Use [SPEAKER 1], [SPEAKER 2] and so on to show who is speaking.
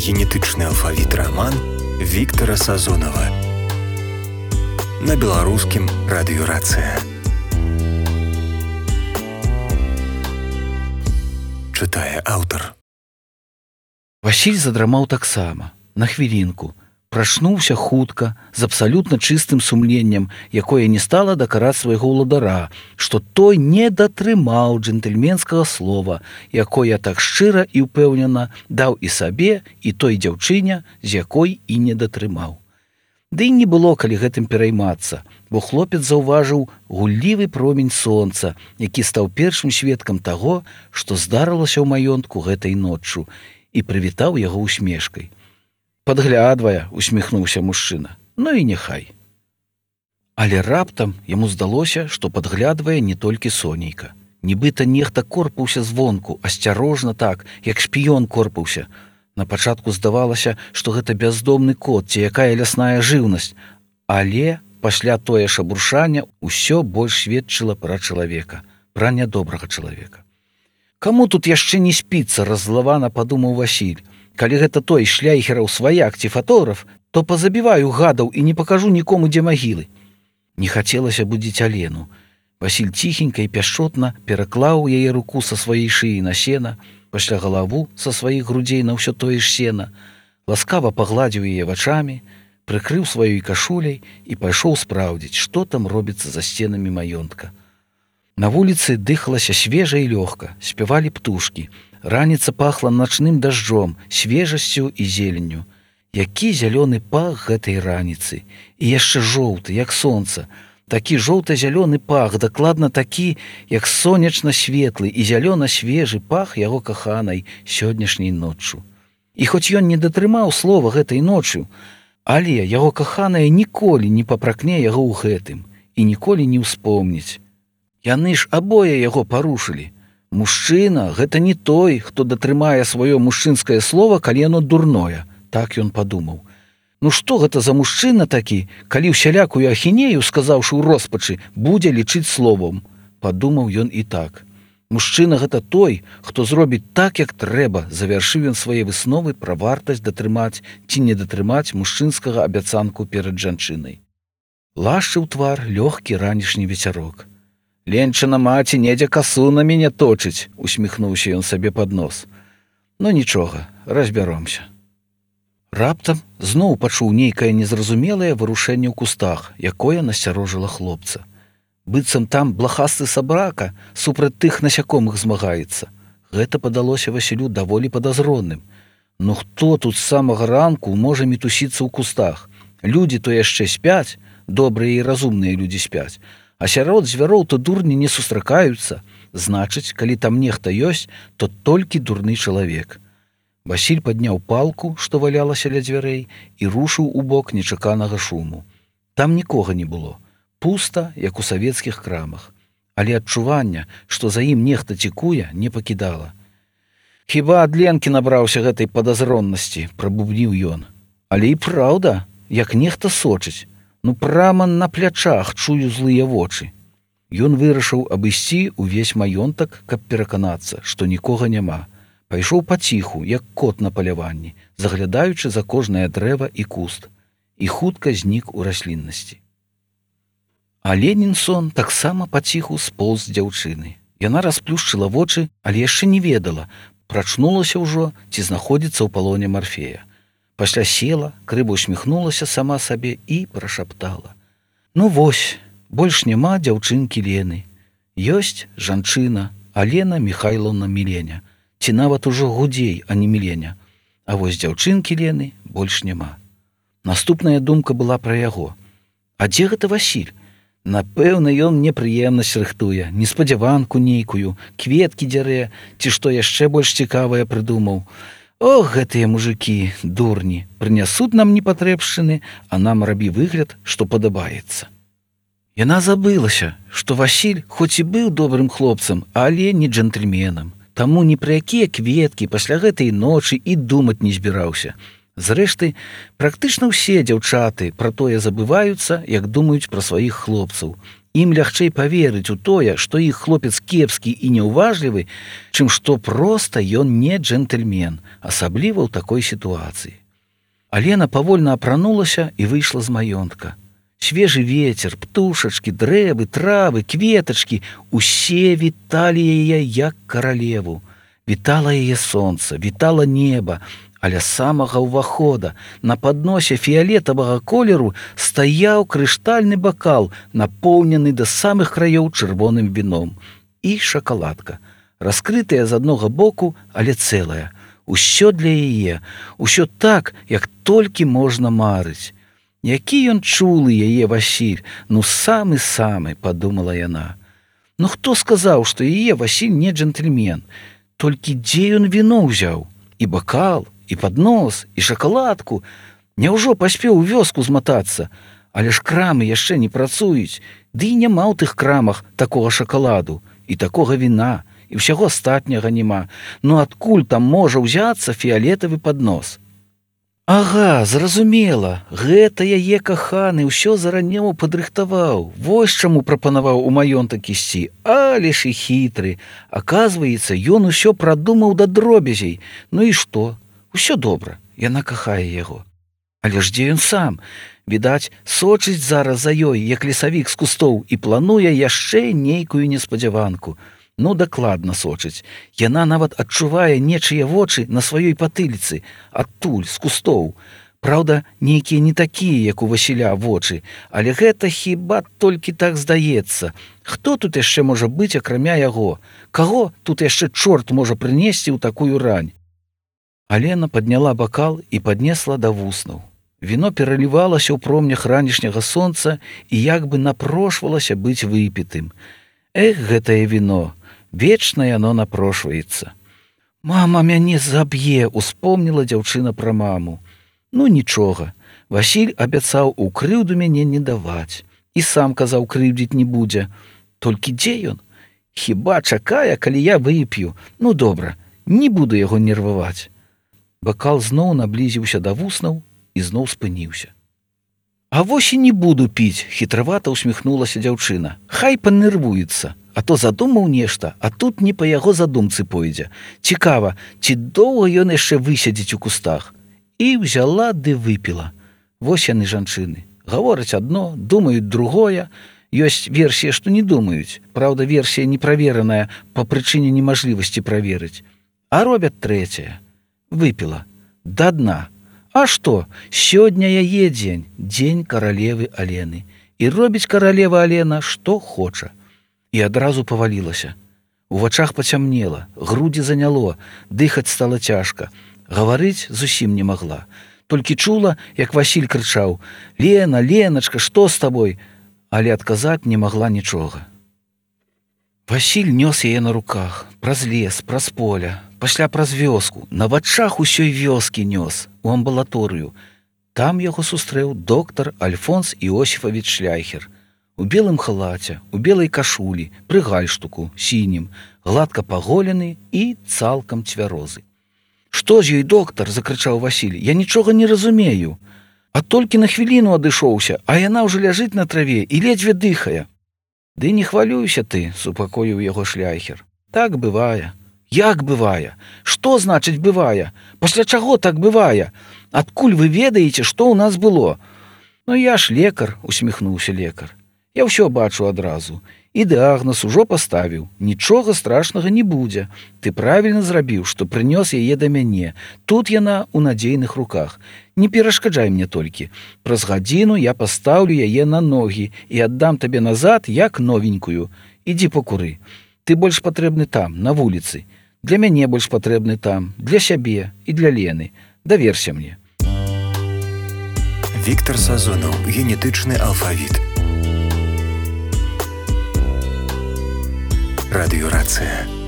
[SPEAKER 1] Генетычны алфавіт раман Віктара Сазонава на беларускім радыёрацыя. Чытае аўтар.
[SPEAKER 2] Васіль задрамаў таксама, на хвілінку. Прачнуўся хутка, з абсалютна чыстым сумленнем, якое не стала дакараць свайго ўладара, што той не датрымаў джентльменскага слова, якое так шчыра і ўпэўнена даў і сабе, і той дзяўчыне, з якой і не датрымаў. Ды і не было калі гэтым пераймацца, бо хлопец заўважыў гуллівы промень сонца, які стаў першым сведкам таго, што здарылася ў маёнтку гэтай ноччу, і прывітаў яго усмешкай. Падглядвае, усміхнуўся мужчына. Ну і няхай. Але раптам яму здалося, што падглядвае не толькі сонейка. Нібыта нехта корпаўся звонку, асцярожна так, як шпіён корпаўся. Напачатку здавалася, што гэта бяздомны кот ці якая лясная жыўнасць, але пасля тое шабуршання ўсё больш сведчыла пра чалавека, пра нядобрага чалавека. Каму тут яшчэ не спіцца, раззлавана падумаў Васіль. Калі гэта той шляйхераў сваяк ці фатограф, то пазабіваю гадаў і не пакажу нікому, дзе магілы. Не хацелася будзіць Алену. Васіль ціхенька і пяшчотна пераклаў яе руку са сваёй шыі на сена, пасля галаву са сваіх грудзей на ўсё тое ж сена, ласкава пагладзіў яе вачамі, прыкрыў сваёй кашуляй і пайшоў спраўдзіць, што там робіцца за сценамі маёнтка. На вуліцы дыхалася свежа і лёгка, спявалі птушкі. Раніца пахла начным дажджом, свежасцю і зеленню. Які зялёны пах гэтай раніцы. І яшчэ жоўты, як сонца. Такі жоўта-зялёны пах, дакладна такі, як сонечна-светлы і зялёна-свежы пах яго каханай сённяшняй ноччу. І хоць ён не датрымаў слова гэтай ноччу, але яго каханая ніколі не папракне яго ў гэтым і ніколі не ўспомніць. Яны ж абое яго парушылі. Мужчына — гэта не той, хто датрымае сваё мужчынскае слова, калі яно дурное, так ён падумаў. Ну што гэта за мужчына такі, калі ўсялякую ахінею, сказаўшы ў роспачы, будзе лічыць словам, падумаў ён і так. Мужчына — гэта той, хто зробіць так, як трэба, завяршыў ён свае высновы пра вартасць датрымаць ці не датрымаць мужчынскага абяцанку перад жанчынай. Лашчыў твар лёгкі ранішні вецярок. «Ленчына маці недзе касу на мяне точыць», — усміхнуўся ён сабе пад нос. «Ну нічога, разбяромся». Раптам зноў пачуў нейкае незразумелае варушэнне ў кустах, якое насцярожыла хлопца. Быццам там блахасты сабрака супраць тых насякомых змагаецца. Гэта падалося Васілю даволі падазронным. Ну хто тут з самага ранку можа мітусіцца ў кустах? Людзі то яшчэ спяць, добрыя і разумныя людзі спяць, а сярод звяроў то дурні не сустракаюцца. Значыць, калі там нехта ёсць, то толькі дурны чалавек. Васіль падняў палку, што валялася ля дзвярэй, і рушыў у бок нечаканага шуму. Там нікога не было. Пуста, як у савецкіх крамах. Але адчування, што за ім нехта цікуе, не пакідала. «Хіба ад Ленкі набраўся гэтай падазроннасці», — прабубніў ён. «Але і праўда, як нехта сочыць. Ну прама на плячах чую злыя вочы». Ён вырашыў абысці ўвесь маёнтак, каб пераканацца, што нікога няма. Пайшоў паціху, як кот на паляванні, заглядаючы за кожнае дрэва і куст, і хутка знік у расліннасці. А Ленінсон таксама паціху споўз з дзяўчыны. Яна расплюшчыла вочы, але яшчэ не ведала, прачнулася ўжо ці знаходзіцца ў палоне Марфея. Пасля села, крыва усміхнулася сама сабе і прашаптала. «Ну вось, больш няма дзяўчынкі Лены. Ёсць жанчына Алена Міхайлаўна Міленя, ці нават ужо Гудзей, а не Міленя. А вось дзяўчынкі Лены больш няма». Наступная думка была пра яго. А дзе гэта Васіль? Напэўна, ён непрыемнасць рыхтуе, неспадзяванку нейкую, кветкі дзярэ, ці што яшчэ больш цікавае прыдумаў. Ох, гэтыя мужыкі, дурні, прынясуць нам непатрэбшчыны, а нам рабі выгляд, што падабаецца. Яна забылася, што Васіль хоць і быў добрым хлопцам, але не джентльменам. Таму ні пра якія кветкі пасля гэтай ночы і думаць не збіраўся. Зрэшты, практычна ўсе дзяўчаты пра тое забываюцца, як думаюць пра сваіх хлопцаў. Ім лягчэй паверыць у тое, што іх хлопец кепскі і няўважлівы, чым што проста ён не джентльмен, асабліва ў такой сітуацыі. Алена павольна апранулася і выйшла з маёнтка. Свежы вецер, птушачкі, дрэвы, травы, кветачкі — усе віталі яе як каралеву. Вітала яе сонца, вітала неба, а ля самага ўвахода на падносе фіялетавага колеру стаяў крыштальны бакал, напоўнены да самых краёў чырвоным віном. І шакаладка, раскрытая з аднога боку, але цэлая. Усё для яе, усё так, як толькі можна марыць. Які ён чулы яе Васіль, ну самы-самы, падумала яна. Ну хто сказаў, што яе Васіль не джентльмен? Толькі дзе ён віно ўзяў? І бакал, і паднос, і шакаладку. Няўжо паспеў у вёску зматацца? Але ж крамы яшчэ не працуюць, ды і няма ў тых крамах такога шакаладу, і такога віна, і ўсяго астатняга няма. Ну адкуль там можа ўзяцца фіялетавы паднос? Ага, зразумела, гэта яе каханы ўсё заранее падрыхтаваў. Вось чаму прапанаваў у маёнтак ісці. Але ж і хітры. Аказваецца, ён усё прадумаў да дробязей. Ну і што? Усё добра, яна кахае яго. Але ж дзе ён сам? Відаць, сочыць зараз за ёй, як лесавік з кустоў, і плануе яшчэ нейкую неспадзяванку. Ну, дакладна сочыць. Яна нават адчувае нечыя вочы на сваёй патыліцы, адтуль, з кустоў. Праўда, нейкія не такія, як у Васіля вочы, але гэта хіба толькі так здаецца. Хто тут яшчэ можа быць, акрамя яго? Каго тут яшчэ чорт можа прынесці ў такую рань? Алена падняла бакал і паднесла да вуснаў. Віно пералівалася ў промнях ранішняга сонца і як бы напрошвалася быць выпітым. Эх, гэтае віно! Вечна яно напрошваецца. Мама мяне заб'е, успомніла дзяўчына пра маму. Ну нічога, Васіль абяцаў у крыўду мяне не даваць. І сам казаў, крыўдзіць не будзе. Толькі дзе ён? Хіба чакае, калі я вып'ю? Ну добра, не буду яго нерваваць. Бакал зноў наблізіўся да вуснаў і зноў спыніўся. А вось і не буду піць, хітравата усміхнулася дзяўчына. Хай панервуецца. А то задумаў нешта, а тут не па яго задумцы пойдзе. Цікава, ці доўга ён яшчэ высядзіць у кустах? І взяла ды выпіла. Вось яны, жанчыны. Гавораць адно, думаюць другое. Ёсць версія, што не думаюць. Праўда, версія неправераная па прычыне немажлівасці праверыць. А робяць трэцяе. Выпіла. Да дна. А што? Сёння яе дзень. Дзень каралевы Алены. І робіць каралева Алена, што хоча. І адразу павалілася. У вачах пацямнела, грудзі заняло, дыхаць стала цяжка. Гаварыць зусім не магла. Толькі чула, як Васіль крычаў: «Лена, Леначка, што з табой?» Але адказаць не магла нічога. Васіль нёс яе на руках, праз лес, праз поля, пасля праз вёску, на вачах усёй вёскі нёс, у амбулаторыю. Там яго сустрэў доктар Альфонс Іосіфавіч Шляйхер. У белым халаце, у белай кашулі, пры гальштуку, сінім, гладка паголены і цалкам цвярозы. «Што з ёй, доктар?» – закрычаў Васіль. «Я нічога не разумею. А толькі на хвіліну адышоўся, а яна ўжо ляжыць на траве і ледзьве дыхае». «Ды не хвалюйся ты», – супакоіў яго Шляйхер. «Так бывае». «Як бывае? Што значыць бывае? Пасля чаго так бывае? Адкуль вы ведаеце, што ў нас было?» «Ну я ж лекар», – усміхнуўся лекар. «Я ўсё бачу адразу. І дыягназ ужо паставіў. Нічога страшнага не будзе. Ты правільна зрабіў, што прынёс яе да мяне. Тут яна ў надзейных руках. Не перашкаджай мне толькі. Праз гадзіну я пастаўлю яе на ногі і аддам табе назад, як новенькую. Ідзі пакуры. Ты больш патрэбны там, на вуліцы. Для мяне больш патрэбны там, для сябе і для Лены. Даверся мне».
[SPEAKER 1] Віктар Сазонаў. Генетычны алфавіт. Радыёрацыя.